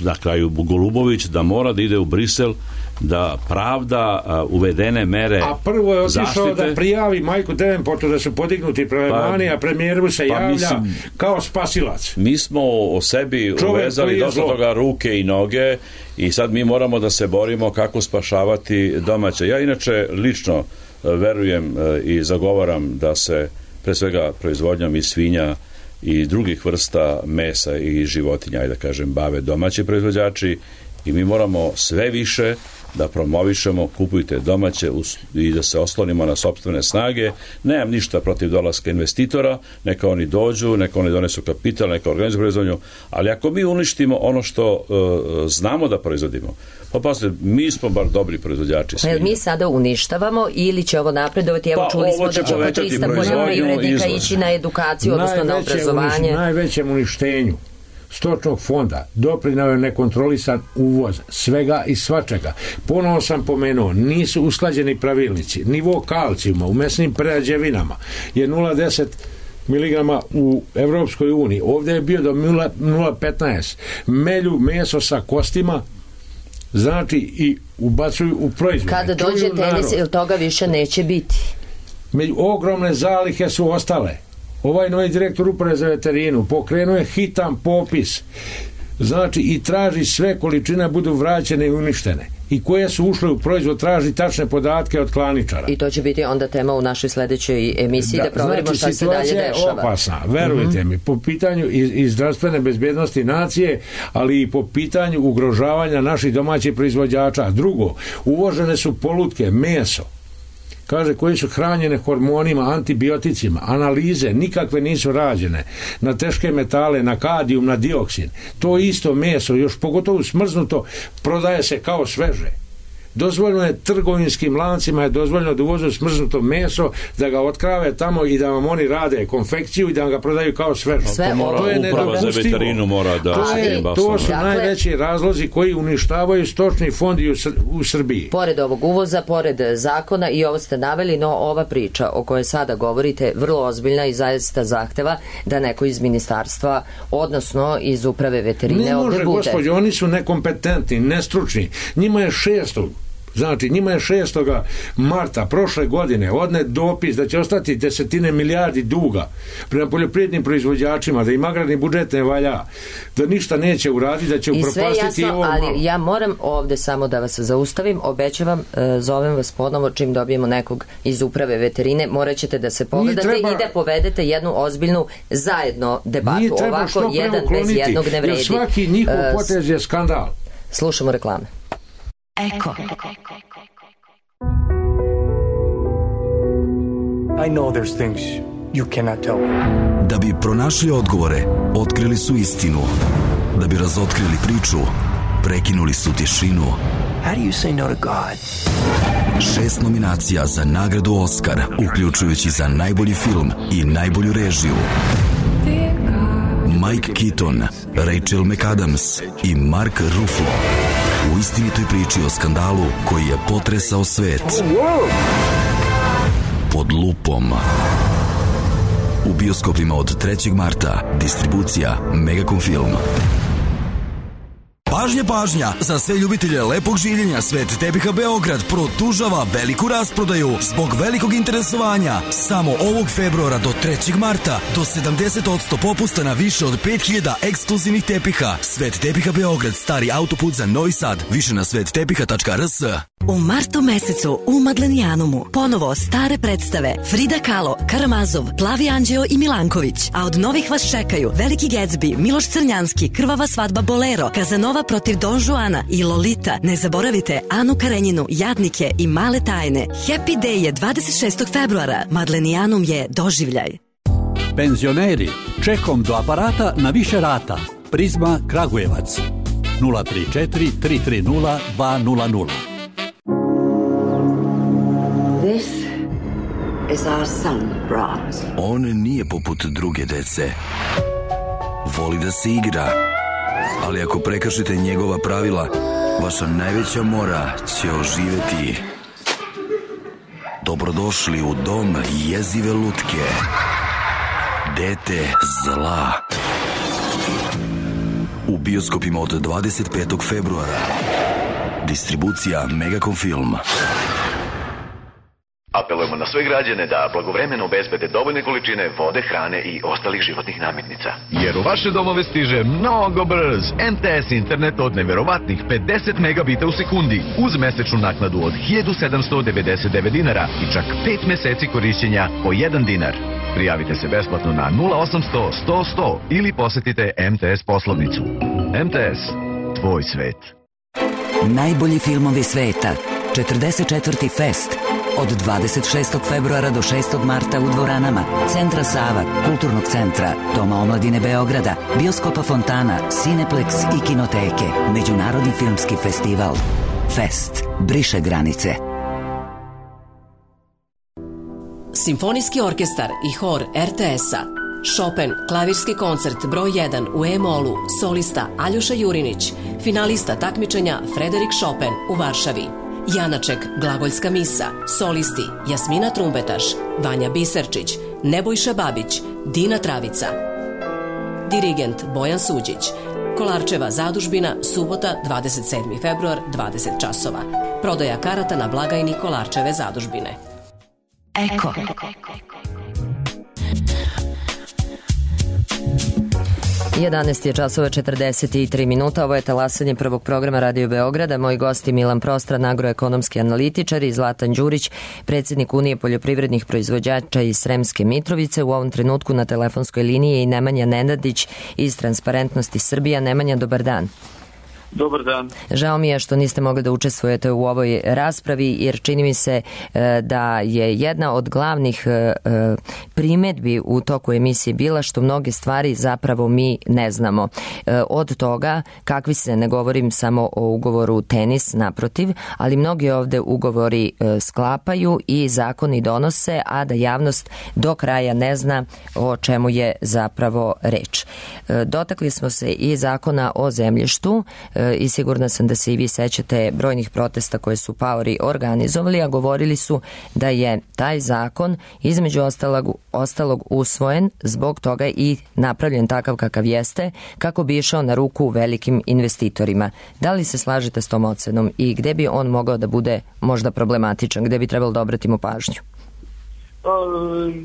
na kraju Golubović da mora da ide u Brisel da pravda uh, uvedene mere a prvo je otišao zaštite. Da prijavi Majku Devenportu da su podignuti prelevani, pa, a premijeru se pa javlja mislim, kao spasilac. Mi smo o sebi čovek uvezali dosta toga ruke i noge i sad mi moramo da se borimo kako spašavati domaće. Ja inače lično uh, verujem uh, i zagovaram da se pre svega proizvodnjom i svinja i drugih vrsta mesa i životinja, ajde da kažem, bave domaći proizvođači i mi moramo sve više da promovišemo, kupujte domaće i da se oslonimo na sopstvene snage. Nemam ništa protiv dolaska investitora, neka oni dođu, neka oni donesu kapital, neka organizuju proizvodnju, ali ako mi uništimo ono što uh, znamo da proizvodimo, pa pasite, mi smo bar dobri proizvođači svinja. Pa mi sada uništavamo ili će ovo napredovati? Evo, pa, čuli smo da će oko trista poljoprivrednika ići na edukaciju, odnosno na obrazovanje. Uniš, najvećem uništenju stočnog fonda doprinao je nekontrolisan uvoz svega i svačega. Ponovo sam pomenuo, nisu usklađeni pravilnici. Nivo kalcijuma u mesnim prerađevinama je nula zarez deset miligrama u Evropskoj uniji. Ovdje je bio do nula zarez petnaest. Melju meso sa kostima, znači i ubacuju u proizvode. Kada dođe tenis, ili toga više neće biti? Među, ogromne zalihe su ostale. Ovaj novi direktor Uprave za veterinu pokrenuo je hitan popis, znači i traži sve količine budu vraćene i uništene. i koje su ušle u proizvod, traži tačne podatke od klaničara. I to će biti onda tema u našoj sledećoj emisiji da, da proverimo znači, šta se dalje dešava. Situacija je opasna, verujte mm-hmm. mi, po pitanju i, i zdravstvene bezbednosti nacije, ali i po pitanju ugrožavanja naših domaćih proizvođača. Drugo, uvožene su polutke, meso, kaže, koji su hranjene hormonima, antibioticima, analize nikakve nisu rađene na teške metale, na kadijum, na dioksin. To isto meso, još pogotovo smrznuto, prodaje se kao sveže. Dozvoljeno je trgovinskim lancima je dozvoljeno da uvozu smrznuto meso, da ga otkrave tamo i da vam oni rade konfekciju i da vam ga prodaju kao sveže. Sve to, to je uprava za veterinu mora da... To, je, to su dakle, najveći razlozi koji uništavaju stočni fond u, u Srbiji. Pored ovog uvoza, pored zakona, i ovo ste naveli, no ova priča o kojoj sada govorite vrlo ozbiljna i zaista zahteva da neko iz ministarstva, odnosno iz uprave veterine ne ovde može, bude. gospođo, oni su nekompetentni, nestručni. Njima je šestog Znači, njima je šestog marta prošle godine odnet dopis da će ostati desetine milijardi duga prema poljoprivrednim proizvođačima, da im agrarni budžet ne valja, da ništa neće uraditi, da će upropastiti ovo malo. Ali ja moram ovde samo da vas zaustavim, obećavam, zovem vas ponovo čim dobijemo nekog iz uprave veterine, morat ćete da se pogledate treba, i da povedete jednu ozbiljnu zajedno debatu. Ovako jedan bez jednog ne vredi. Jer svaki njihov potez je skandal. Slušamo reklame. Eko. I know there's things you cannot tell me. Da bi pronašli odgovore, otkrili su istinu. Da bi razotkrili priču, prekinuli su tišinu. How do you say no to God? Šest nominacija za nagradu Oskar, uključujući za najbolji film i najbolju režiju. Mike Keaton, Rachel McAdams i Mark Ruffalo u istinitoj priči o skandalu koji je potresao svet. Pod lupom. U bioskopima od trećeg marta. Distribucija Megacom Film. Pažnja, pažnja! Za sve ljubitelje lepog življenja Svet tepiha Beograd produžava veliku rasprodaju zbog velikog interesovanja. Samo ovog februara do trećeg marta do sedamdeset posto popusta na više od pet hiljada ekskluzivnih tepiha. Svet tepiha Beograd, stari autoput za Novi Sad. Više na svet tepiha tačka r s. U martu mesecu u Madlenijanumu ponovo stare predstave Frida Kahlo, Karamazov, Plavi Anđeo i Milanković. A od novih vas čekaju Veliki Gatsby, Miloš Crnjanski, Krvava svadba Bolero, Kazanova protiv Don Juana i Lolita. Ne zaboravite Anu Karenjinu, Jadnike i Male tajne. Happy Day je dvadeset šestog februara. Madlenijanum je doživljaj. Penzioneri, čekom do aparata na više rata. Prizma Kragujevac. nula tri četiri tri tri nula dva nula nula. This is our son, Brahms. On nije poput druge dece. Voli da se igra, ali ako prekršite njegova pravila, vaša najveća mora će oživeti. Dobrodošli u dom jezive lutke. Dete zla. U bioskopima od dvadeset petog februara. Distribucija Megacom Film. Apelujemo na sve građane da blagovremeno obezbede dovoljne količine vode, hrane i ostalih životnih namirnica. Jer u vaše domove stiže mnogo brz M T S internet od neverovatnih pedeset megabita u sekundi uz mesečnu naknadu od hiljadu sedamsto devedeset devet dinara i čak pet meseci korišćenja po jedan dinar. Prijavite se besplatno na nula osamsto sto sto ili posetite M T S poslovnicu. M T S, tvoj svet. Najbolji filmovi sveta. četrdeset četvrti Fest. Od dvadeset šestog februara do šestog marta u dvoranama Centra Sava, Kulturnog centra, Doma omladine Beograda, Bioskopa Fontana, Cineplex i Kinoteke. Međunarodni filmski festival. Fest. Briše granice. Simfonijski orkestar i hor R T S-a. Chopin, klavirski koncert broj jedan u E-molu, solista Aljoša Jurinić, finalista takmičenja Frederik Chopin u Varšavi. Janaček, glagoljska misa, solisti Jasmina Trumbetaš, Vanja Biserčić, Nebojša Babić, Dina Travica. Dirigent Bojan Suđić. Kolarčeva zadužbina, subota dvadeset sedmi februar, dvadeset časova. Prodaja karata na blagajni Kolarčeve zadužbine. Eko. jedanaest je časova četrdeset tri minuta, ovo je talasanje prvog programa Radio Beograda. Moji gosti Milan Prostran, agroekonomski analitičar, i Zlatan Đurić, predsjednik Unije poljoprivrednih proizvođača iz Sremske Mitrovice. U ovom trenutku na telefonskoj liniji je i Nemanja Nenadić iz Transparentnosti Srbija. Nemanja, dobar dan. Dobar dan. Žao mi je što niste mogli da učestvujete u ovoj raspravi, jer čini mi se da je jedna od glavnih primedbi u toku emisije bila što mnoge stvari zapravo mi ne znamo. Od toga, kakvi se, ne govorim samo o ugovoru tenis, naprotiv, ali mnogi ovde ugovori sklapaju i zakoni donose, a da javnost do kraja ne zna o čemu je zapravo reč. Dotakli smo se i zakona o zemljištu, i sigurna sam da se i vi sećate brojnih protesta koje su paori organizovali, a govorili su da je taj zakon između ostalog, ostalog usvojen, zbog toga i napravljen takav kakav jeste, kako bi išao na ruku velikim investitorima. Da li se slažete s tom ocenom i gde bi on mogao da bude možda problematičan, gde bi trebalo da obratimo pažnju?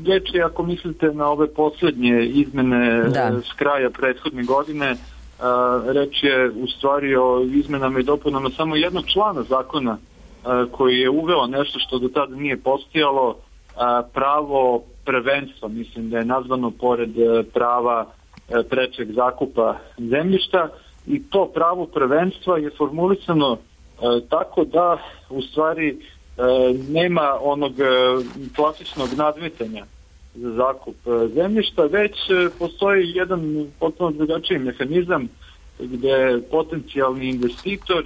Reč je, ako mislite na ove posljednje izmene da. s kraja prethodne godine, reč je u stvari o izmenama i dopunama samo jednog člana zakona koji je uveo nešto što do tada nije postojalo, pravo prvenstva, mislim da je nazvano pored prava prečeg zakupa zemljišta, i to pravo prvenstva je formulisano tako da u stvari nema onog klasičnog nadmetanja za zakup zemljišta, već postoji jedan potpuno drugačiji mehanizam gde potencijalni investitor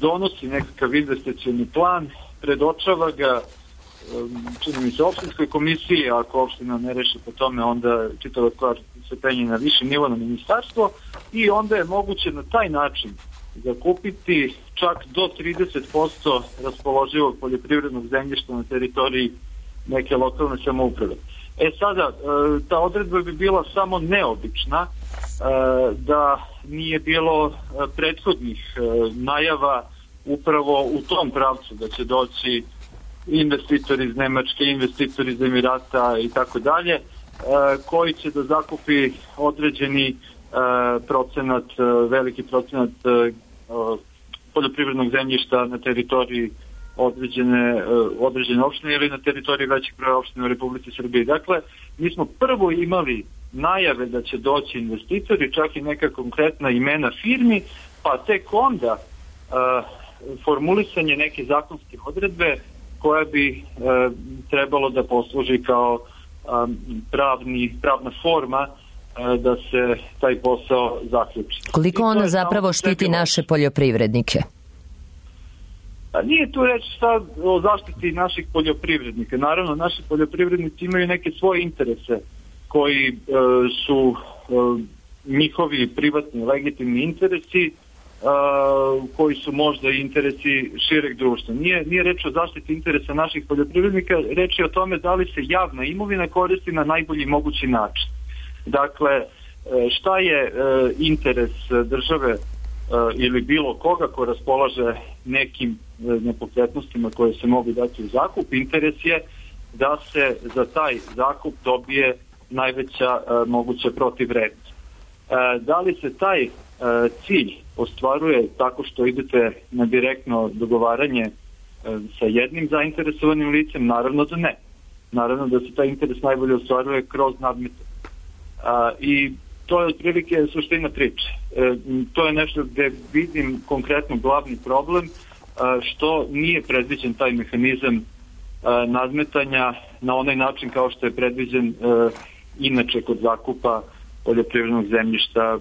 donosi nekakav investicioni plan, predočava ga, čini mi se, opštinskoj komisiji, ako opština ne reši po tome, onda čitava stvar se penje na viši nivo, na ministarstvo, i onda je moguće na taj način zakupiti čak do trideset posto raspoloživog poljoprivrednog zemljišta na teritoriji neke lokalne samouprave. E sada, ta odredba bi bila samo neobična da nije bilo prethodnih najava upravo u tom pravcu, da će doći investitori iz Nemačke, investitori iz Emirata i tako dalje, koji će da zakupi određeni procenat, veliki procenat poljoprivrednog zemljišta na teritoriji određene, određene opštine ili na teritoriji većih broja opština u Republici Srbiji. Dakle, mi smo prvo imali najave da će doći investitori, čak i neka konkretna imena firmi, pa tek onda uh, formulisanje neke zakonske odredbe koja bi uh, trebalo da posluži kao um, pravni, pravna forma uh, da se taj posao zaključi. Koliko ona zapravo štiti naše poljoprivrednike? A nije tu reći sad o zaštiti naših poljoprivrednika. Naravno, naši poljoprivrednici imaju neke svoje interese koji e, su e, njihovi privatni, legitimni interesi, e, koji su možda i interesi šireg društva. Nije, nije reč o zaštiti interesa naših poljoprivrednika, reč je o tome da li se javna imovina koristi na najbolji mogući način. Dakle, šta je e, interes države ili bilo koga ko raspolaže nekim nepokretnostima koje se mogu dati u zakup? Interes je da se za taj zakup dobije najveća moguća protivvrednost. Da li se taj cilj ostvaruje tako što idete na direktno dogovaranje sa jednim zainteresovanim licem? Naravno da ne. Naravno da se taj interes najbolje ostvaruje kroz nadmetanje. I to je otprilike suština priče. E, to je nešto gde vidim konkretno glavni problem, a, što nije predviđen taj mehanizam a, nadmetanja na onaj način kao što je predviđen a, inače kod zakupa poljoprivrednog zemljišta,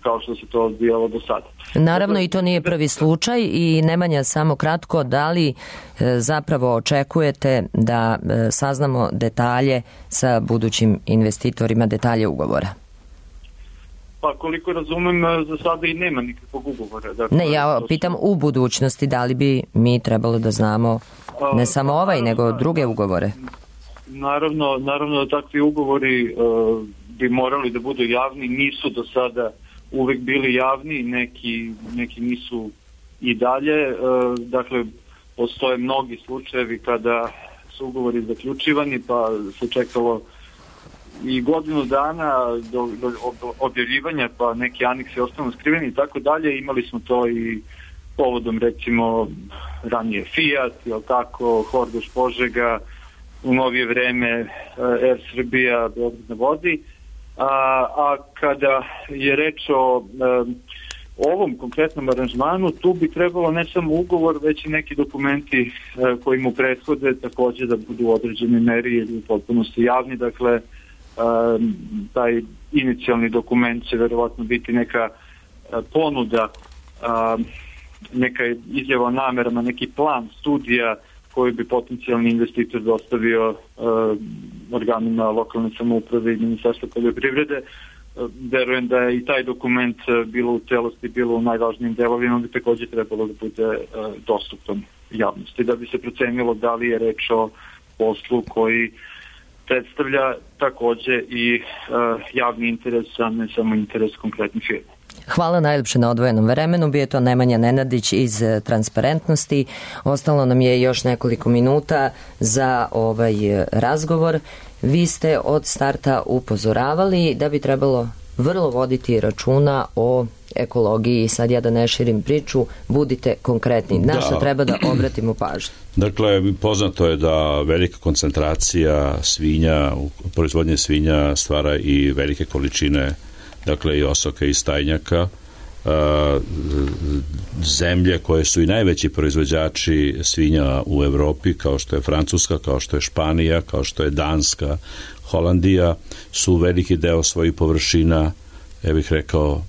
kao što se to odvijalo do sada. Naravno, i to nije prvi slučaj. I Nemanja, samo kratko, da li e, zapravo očekujete da e, saznamo detalje sa budućim investitorima, detalje ugovora? Pa koliko razumem, za sada i nema nikakvog ugovora. Dakle, ne, ja pitam u budućnosti da li bi mi trebalo da znamo ne samo ovaj, naravno, nego druge ugovore. Naravno, naravno da takvi ugovori uh, bi morali da budu javni, nisu do sada uvek bili javni, neki, neki nisu i dalje. Uh, dakle, postoje mnogi slučajevi kada su ugovori zaključivani, pa se čekalo i godinu dana do, do objavljivanja, pa neki aneksi ostanu skriveni i tako dalje. Imali smo to i povodom recimo ranije Fiat, jel tako, Horgoš Požega, u novije vreme Air Srbija, Beograd na vodi. A, a kada je reč o o ovom konkretnom aranžmanu, tu bi trebalo ne samo ugovor, već i neki dokumenti koji mu prethode takođe da budu u određenoj meri ili u potpunosti javni. Dakle, taj inicijalni dokument će verovatno biti neka ponuda, neka izjava o namerama, neki plan, studija koji bi potencijalni investitor dostavio organima lokalne samouprave i Ministarstva poljoprivrede. Verujem da je i taj dokument bilo u celosti, bilo u najvažnijim delovima, bi takođe trebalo da bude dostupan javnosti, da bi se procenilo da li je reč o poslu koji predstavlja takođe i javni interes, a ne samo interes konkretnih firma. Hvala najljepše na odvojenom vremenu. Bio je to Nemanja Nenadić iz Transparentnosti. Ostalo nam je još nekoliko minuta za ovaj razgovor. Vi ste od starta upozoravali da bi trebalo vrlo voditi računa o ekologiji. Sad ja da ne širim priču, budite konkretni. Na šta treba da obratimo pažnju? Dakle, poznato je da velika koncentracija svinja, proizvodnje svinja stvara i velike količine, dakle i osoka i stajnjaka. Zemlje koje su i najveći proizvođači svinja u Evropi, kao što je Francuska, kao što je Španija, kao što je Danska, Holandija, su veliki deo svojih površina, ja bih rekao,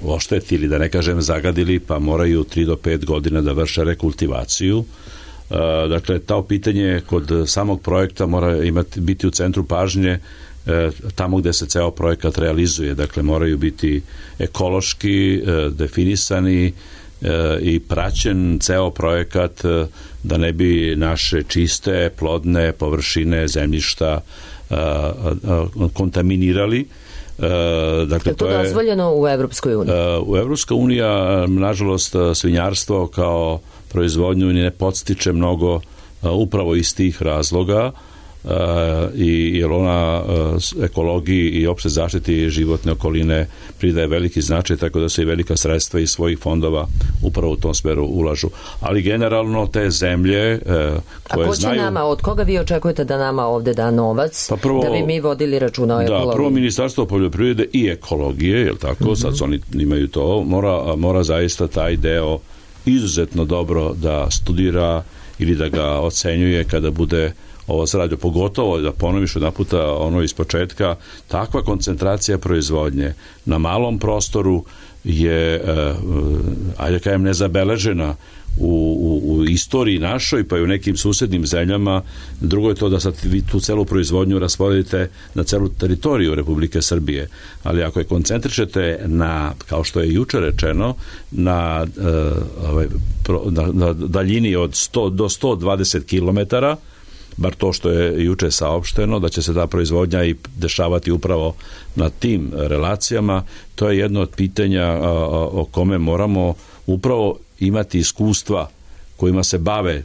oštetili, da ne kažem zagadili, pa moraju tri do pet godina da vrše rekultivaciju. Dakle, to pitanje kod samog projekta mora imati, biti u centru pažnje tamo gde se ceo projekat realizuje. Dakle, moraju biti ekološki definisani i praćen ceo projekat da ne bi naše čiste, plodne površine zemljišta kontaminirali. Dakle, je to dozvoljeno u Evropskoj uniji? U Evropska unija, nažalost, svinjarstvo kao proizvodnju ne podstiče mnogo upravo iz tih razloga, i jer ona ekologiji i opšte zaštiti životne okoline pridaje veliki značaj, tako da se i velika sredstva iz svojih fondova upravo u tom smeru ulažu. Ali generalno te zemlje koje A ko će znaju... nama, od koga vi očekujete da nama ovde da novac, pa prvo, da bi mi vodili računa o ekologiji? Da, prvo Ministarstvo poljoprivrede i ekologije, je li tako, mm-hmm. sad oni imaju to, mora, mora zaista taj deo izuzetno dobro da studira ili da ga ocenjuje kada bude ovo se radi, pogotovo da ponoviš jedan puta ono iz početka, takva koncentracija proizvodnje na malom prostoru je, ajde kajem, nezabeležena u, u, u istoriji našoj, pa i u nekim susednim zemljama. Drugo je to da sad vi tu celu proizvodnju rasporedite na celu teritoriju Republike Srbije, ali ako je koncentrišete na, kao što je juče rečeno, na, na, na daljini od sto do sto dvadeset kilometara, bar to što je juče saopšteno, da će se ta proizvodnja i dešavati upravo na tim relacijama, to je jedno od pitanja o kome moramo upravo imati iskustva kojima se bave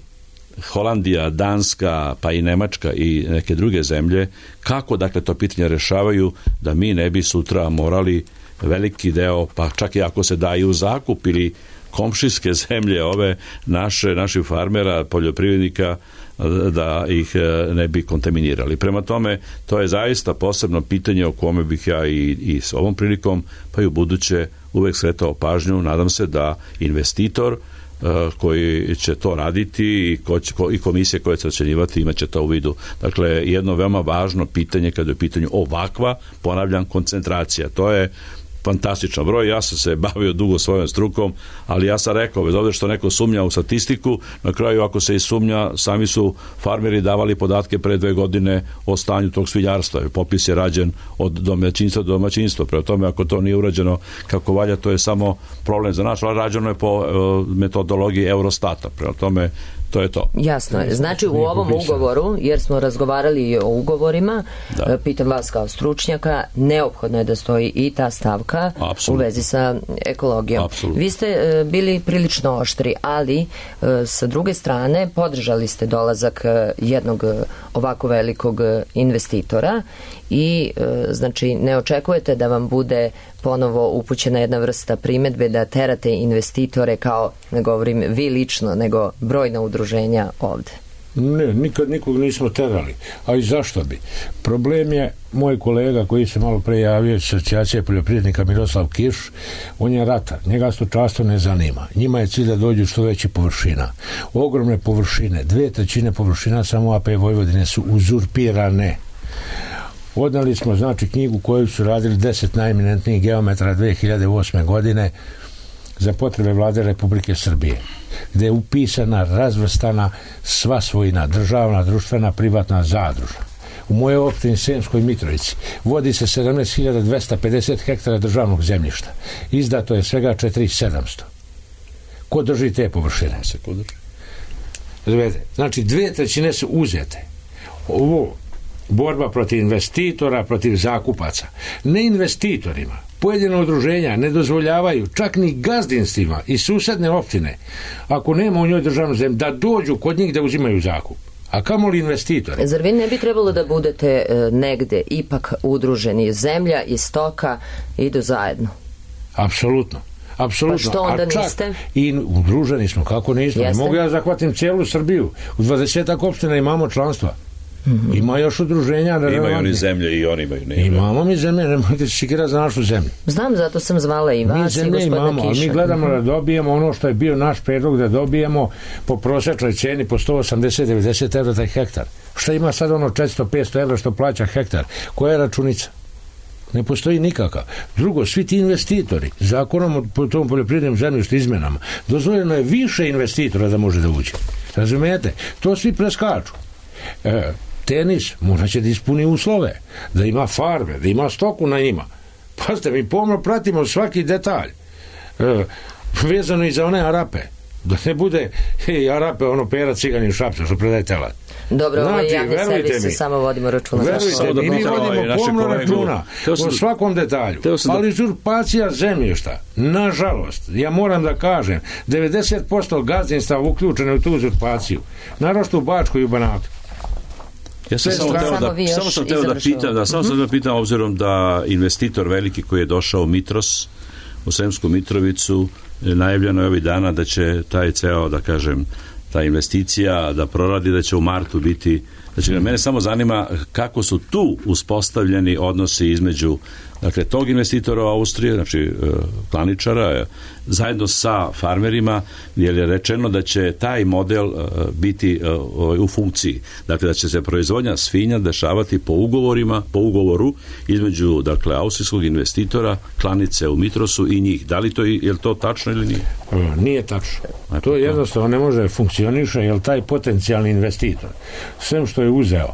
Holandija, Danska, pa i Nemačka i neke druge zemlje, kako dakle to pitanje rešavaju da mi ne bi sutra morali veliki deo, pa čak i ako se daju u zakup ili komšijske zemlje ove naše, naših farmera, poljoprivrednika, da ih ne bi kontaminirali. Prema tome, to je zaista posebno pitanje o kome bih ja i, i s ovom prilikom, pa i u buduće uvek skretao pažnju. Nadam se da investitor koji će to raditi i, ko će, ko, i komisije koje će ocenjivati imat će to u vidu. Dakle, jedno veoma važno pitanje kada je u pitanju ovakva, ponavljam, koncentracija. To je fantastičan broj. Ja sam se bavio dugo svojom strukom, ali ja sam rekao, bez obzira što neko sumnja u statistiku, na kraju ako se i sumnja, sami su farmeri davali podatke pre dve godine o stanju tog svinjarstva. Popis je rađen od domaćinstva do domaćinstva. Prema tome, ako to nije urađeno kako valja, to je samo problem za nas, ali rađeno je po metodologiji Eurostata. Prema tome, To je to. Jasno je. Znači u ovom ugovoru, jer smo razgovarali o ugovorima, da. Pitam vas kao stručnjaka, neophodno je da stoji i ta stavka Absolutno. U vezi sa ekologijom. Absolutno. Vi ste bili prilično oštri, ali sa druge strane podržali ste dolazak jednog ovako velikog investitora i znači ne očekujete da vam bude ponovo upućena jedna vrsta primedbe da terate investitore kao, ne govorim vi lično, nego brojna udruženja ovde. Ne, nikad nikog nismo terali. A i zašto bi? Problem je moj kolega koji se malo pre javio iz asocijacije poljoprivrednika Miroslav Kiš, on je ratar, njega stočarstvo ne zanima. Njima je cilj da dođu što veći površina. Ogromne površine, dve trećine površina samo A P Vojvodine su uzurpirane. Odnali smo, znači, knjigu koju su radili deset najeminentnijih geometra dve hiljade osme godine za potrebe vlade Republike Srbije, gde je upisana, razvrstana sva svojina, državna, društvena, privatna, zadružna. U mojoj opštini Sremskoj Mitrovici vodi se sedamnaest hiljada dvesta pedeset hektara državnog zemljišta. Izdato je svega četiri hiljade sedamsto. Ko drži te površine? Znači, dve trećine su uzete. Ovo borba protiv investitora, protiv zakupaca. Ne investitorima. Pojedine udruženja ne dozvoljavaju čak ni gazdinstvima i susedne opštine, ako nema u njoj državnu zemlju, da dođu kod njih da uzimaju zakup. A kamoli investitori? Zar vi ne bi trebalo da budete e, negde ipak udruženi? Zemlja i stoka idu zajedno. Apsolutno. Apsolutno. Pa što onda A čak niste? I udruženi smo, kako nismo. Ne mogu ja zahvatim cijelu Srbiju. U dvadesetak opština imamo članstva. Mm-hmm. Ima još udruženja. Imaju oni zemlje i oni imaju. Ne imamo mi zemlje, nemojte se sikira za našu zemlju. Znam, zato sam zvala i vas mi i gospodina imamo, Kiša. Mi gledamo mm-hmm. da dobijemo ono što je bio naš predlog, da dobijemo po prosječnoj ceni po sto osamdeset do devedeset evra taj hektar. Šta ima sad ono četiristo do petsto evra što plaća hektar? Koja je računica? Ne postoji nikakav. Drugo, svi ti investitori, zakonom o tom poljoprivrednom zemljištu izmenama, dozvoljeno je više investitora da može da uđe. Razumijete? To svi preskaču. E, tenis mora će da ispuni uslove, da ima farme, da ima stoku na njima. Pazite, mi pomno pratimo svaki detalj. E, vezano i za one Arape. Da ne bude hej, Arape, ono pera ciganin šapca što predaje telad. Dobro, znači, ovo javne servise samo vodimo računa. Verujte mi, mi vodimo pomno računa o svakom detalju. Ali uzurpacija zemljišta, nažalost, ja moram da kažem, devedeset posto gazdinstva uključeno u tu uzurpaciju. Naročito u Bačkoj i u Banatu. Ja sam samo, teo da, samo sam teo da pitam, da, samo mm-hmm. sam da pitam, obzirom da investitor veliki koji je došao u Mitros, u Sremsku Mitrovicu, najavljeno je ovih dana da će taj ceo, da kažem, ta investicija da proradi, da će u martu biti, znači mm. mene samo zanima kako su tu uspostavljeni odnosi između, dakle, tog investitora u Austriji, znači klaničara, zajedno sa farmerima, jer je rečeno da će taj model biti u funkciji. Dakle, da će se proizvodnja svinja dešavati po ugovorima, po ugovoru između, dakle, austrijskog investitora, klanice u Mitrosu i njih. Da li to, je li to tačno ili nije? Nije tačno. To jednostavno ne može funkcioniše, jer taj potencijalni investitor, sve što je uzeo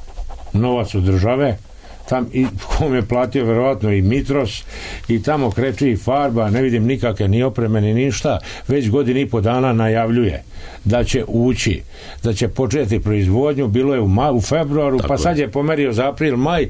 novac od države, tam i kom je platio verovatno i Mitros i tamo kreće i farba, ne vidim nikakve ni opreme ni ništa, već godinu i po dana najavljuje da će ući, da će početi proizvodnju, bilo je u, ma, u februaru, tako pa sad je pomerio za april, maj,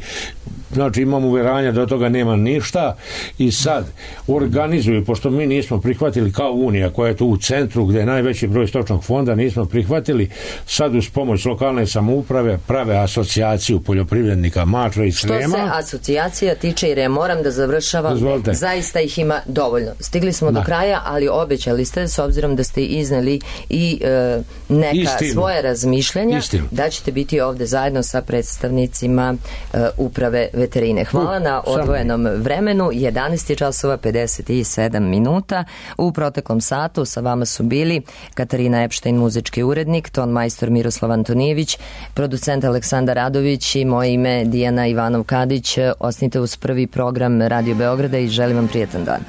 znači imam uveranja da od toga nema ništa i sad organizuju, pošto mi nismo prihvatili kao Unija koja je tu u centru gde je najveći broj stočnog fonda, nismo prihvatili, sad uz pomoć lokalne samouprave prave asocijaciju poljoprivrednika Mačve i Srema. Što se asocijacija tiče, jer ja moram da završavam, Dozvolite. Zaista ih ima dovoljno. Stigli smo da. do kraja, ali obećali ste, s obzirom da ste izneli i e, neka Istinu. svoje razmišljanja, Istinu. da ćete biti ovde zajedno sa predstavnicima e, uprave veterine. Hvala na odvojenom vremenu. jedanaest časova pedeset sedam minuta. U proteklom satu sa vama su bili Katarina Epštajn, muzički urednik, ton majstor Miroslav Antonijević, producent Aleksandar Radović i moje ime Dijana Ivanov-Kadić. Ostanite uz prvi program Radio Beograda i želim vam prijetan dan.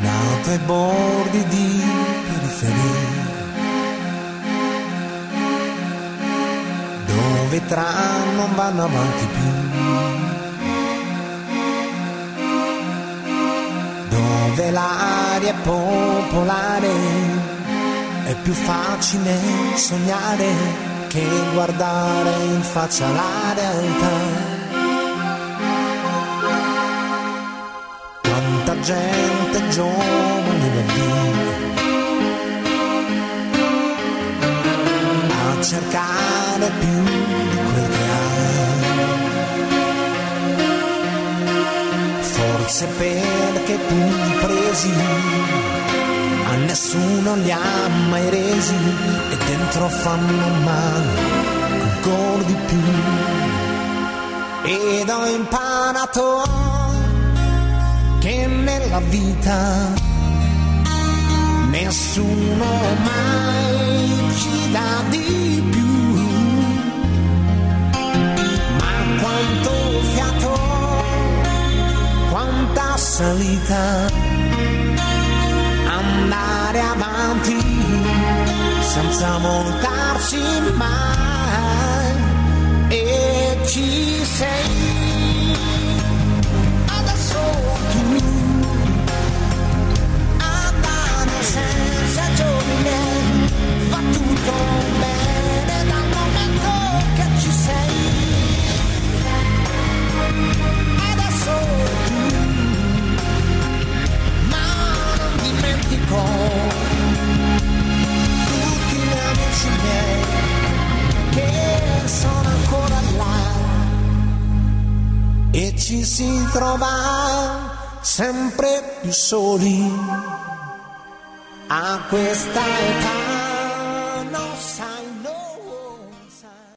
Na toj bordi di periferia dove tram non vanno avanti più, dove muove l'aria popolare, è più facile sognare che guardare in faccia la realtà. Quanta gente giovane da vivere a cercare più di quel che ha, forse perché tutti presi a nessuno li ha mai resi e dentro fanno male ancora di più. Ed ho imparato che nella vita nessuno mai ci dà di più, ma quanto fiato, quanta salita, andare avanti senza voltarsi mai. E ci sei adesso tu, senza giorni miei, va tutto bene dal momento che ci sei. Adesso tu, ma non dimentico tutti gli amici miei che sono ancora là, e ci si trova sempre più soli a questa età.